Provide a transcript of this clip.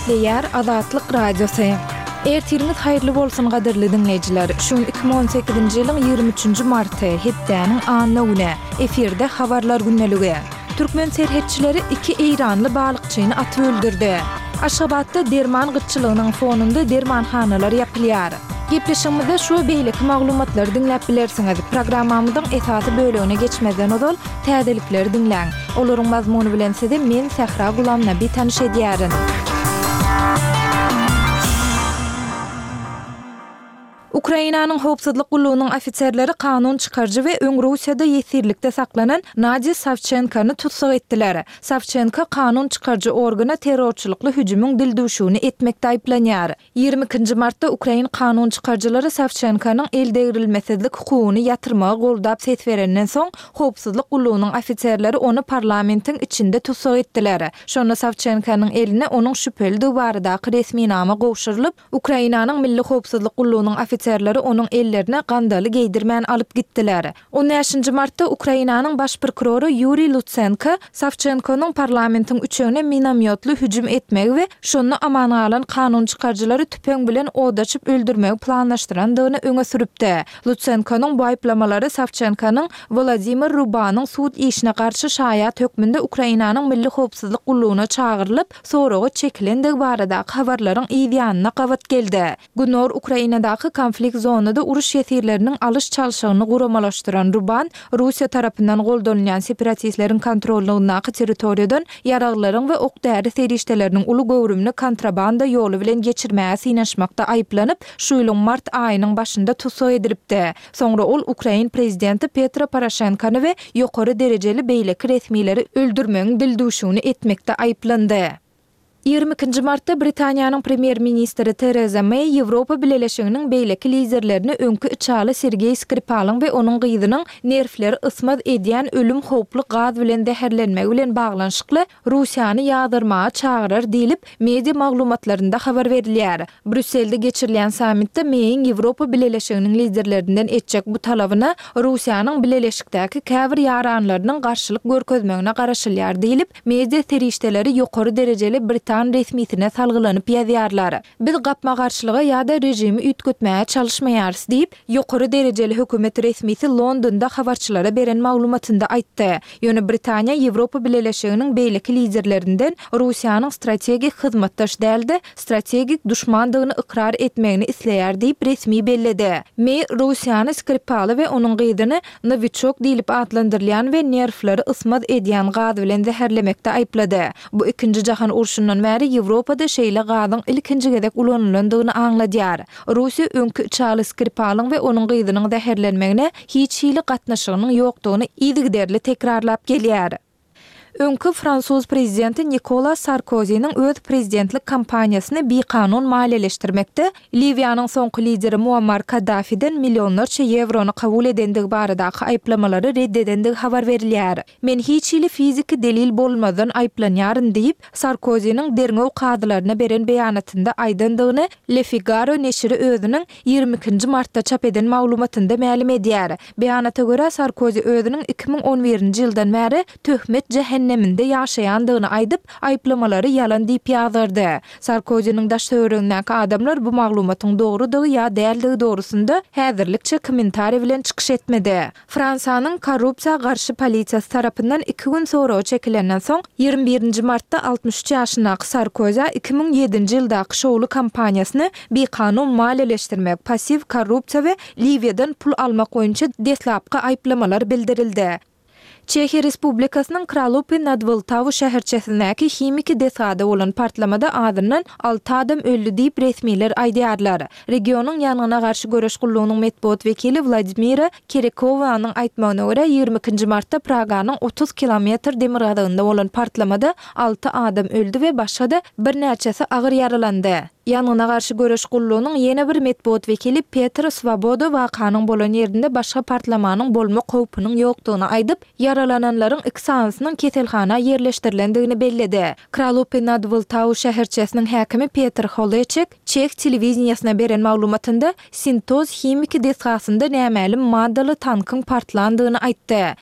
Gepleýär Azatlyk Radiosy. Ertiriňiz haýyrly bolsun gadyrly diňleýjiler. Şu gün 2018-nji ýylyň 23-nji marty, hepdäniň anna güni. Efirde habarlar gündeligi. Türkmen serhetçileri iki eýranly balykçyny atyp öldürdi. Aşgabatda derman gytçylygynyň fonunda dermanhanalar ýapylýar. Gepleşigimizde şu we beýleki maglumatlary diňläp bilersiňiz. Programmamyzyň esasy bölegine geçmezden ozal, täzelikleri diňläň. Olaryň mazmuny bilen sizi men, Sähra Gulamnabi tanyş edýärin. Ukrainanyň howpsuzlyk gullugynyň ofiserleri kanun çykaryjy we öň Russiýada ýesirlikde saklanan Nadýa Sawçenkony tussag etdiler. Sawçenko kanun çykaryjy organa terrorçylykly hüjümiň dildüwşügini etmekde aýyplanýar. 22 nji martda ukrain kanun çykaryjylary Sawçenkonyň eldegrilmesizlik hukugyny ýatyrmagy goldap ses berenden soň, howpsuzlyk gullugynyň ofiserleri ony parlamentiň içinde tussag etdiler. Şonda Sawçenkonyň eline onuň şübhelidigi baradaky resminama gowşurylyp, Ukrainanyň Milli howpsuzlyk gullugynyň ofiserleri onuň ellerine gandaly geýdirmän alyp gitdiler. On bäşinji martda Ukrainanyň baş prokurory Ýuriý Lutsenko Sawçenkonyň parlamentiň üçegine minomýotly hüjüm etmegi we şonda aman galan kanun çykaryjylary tüpeň bilen od açyp öldürmegi planlaşdyrandygyny öňe sürüpdi. Lutsenkonyň bu aýyplamalary Sawçenkonyň Wolodymyr Rubanyň sud işine garşy şaýat hökmünde Ukrainanyň Milli howpsuzlyk gullugyna çagyrylyp, soraga çekilendigi baradaky habarlaryň yz ýanyna gabat geldi. Gündogar Ukrainadaky konflikt zonada uruş ýesirleriniň alyş-çalşygyny guramalaşdyran Ruban, Russiýa tarapyndan goldanylýan separatistleriň kontrollygyndaky territoriýadan ýaraglaryň we ok-däri serişdeleriniň uly göwrümini kontrabanda ýoly bilen geçirmäge synanyşmakda aýyplanyp, şu ýylyň mart aýynyň başynda tussag edilipdi. Soňra ol ukrain prezidenti Petro Poroşenkony we ýokary derejeli beýleki resmileri öldürmegiň dildüwşügini etmekde aýyplandy. 22 nji martda Britaniýanyň premýer-ministri Tereza Meý Ýewropa Bileleşiginiň beýleki liderlerini öňki içaly Sergeý Skripalyň we onuň gyzynyň nerwleri ysmaz edýän ölüm howply gaz bilen zäherlenmegi bilen baglanyşykly Russiýany ýazgarmaga çagyrar diýlip, media maglumatlarynda habar berilýär. Brýusselde geçirilýän sammitde Meýiň Ýewropa Bileleşiginiň liderlerinden etjek bu talabyna Russiýanyň bileleşikdäki käbir ýaranlarynyň garşylyk görkezmegine garaşylýar diýlip, media serişdeleri ýokary derejeli britan resmisine salgylanyp ýazýarlar. Biz gapma-garşylyga ýa-da režimi üýtgetmäge çalyşmaýarys diýip, ýokary derejeli hökümet resmisi Londonda habarçylara beren maglumatynda aýtdy. Ýöne Britaniýa Ýewropa Bileleşiginiň beýleki liderlerinden Russiýanyň strategik hyzmatdaş däl-de, strategik duşmandygyny ykrar etmegini isleýär diýip resmi belledi. Meý Russiýany Skripaly we onuň gyzyny Nowiçok diýlip atlandyrylýan we nerwleri ysmaz edýän gaz bilen zäherlemekde aýyplady. Bu Ikinji jahan urşundan bäri Ýewropada şeýle gazyň ilkinji gezek ulanylandygyny aňladýar. Russiýa öňki içaly Skripalyň we onuň gyzynyň zäherlenmegine hiç hili gatnaşygynyň ýokdugyny yzygiderli tekrarlap gelýär. Öňki fransuz prezidenti Nikola Sarkoziniň öz prezidentlik kampaniýasyny bikanun maliýeleşdirmekde Liwiýanyň soňky lideri Muammar Kaddafiden millionlarça ýewrony kabul edendigi baradaky aýyplamalary red edendigi habar berilýär. Men hiç hili fiziki delil bolmazdan aýyplanýaryn diýip, Sarkoziniň derňew kazylaryna beren beýanatynda aýdandygyny Le Figaro neşiri özüniň 22 nji martda çap eden maglumatynda mälim edýär. Beýanata görä, Sarkozi özüniň 2011-nji ýyldan bäri töhmet jähenneminde ýaşaýandygyny aýdyp, aýyplamalary ýalan diýip ýazgardy. Sarkoziniň daş-töweregindäki adamlar bu maglumatyň dogrudygy ýa däldigi dogrusynda häzirlikçe kommentariý bilen çykyş etmedi. Fransiýanyň korrupsiýa garşy polisiýasy tarapyndan iki gün soraga çekilenden soň, 21 nji martda 63 ýaşyndaky Sarkozä 2007-nji ýyldaky şowly kampaniýasyny bikanun maliýeleşdirmek, passiw korrupsiýa we Liwiýadan pul almak boýunça deslapky aýyplamalar bildirildi. Çehiýa Respublikasynyň Kralupy nad Wltawu şäherçesindäki himiki desgada bolan partlamada azyndan alty adam öldi diýip, resmiler aýdýarlar. Regionyň ýangyna garşy göreş gullugynyň metbugat wekili Wladimira Kerekowanyň aýtmagyna görä, 22 nji martda Praganyň 30 kilometr demirgazygynda bolan partlamada alty adam öldi we başga-da birnäçesi agyr ýaralandy. Ýangyna garşy göreş gullugynyň ýene bir metbugat wekili Petr Swoboda wakanyň bolan ýerinde başga partlamanyň bolmak howpunyň ýokdugyny aýdyp, ýaralananlaryň iki sanysynyň keselhana ýerleşdirilendigini belledi. Kralupy nad Wltau şäherçesiniň häkimi Petr Holeçek çeh telewideniýesine beren maglumatynda Sintoz himiki desgasynda nämälim maddaly tankyň partlandygyny aýtdy.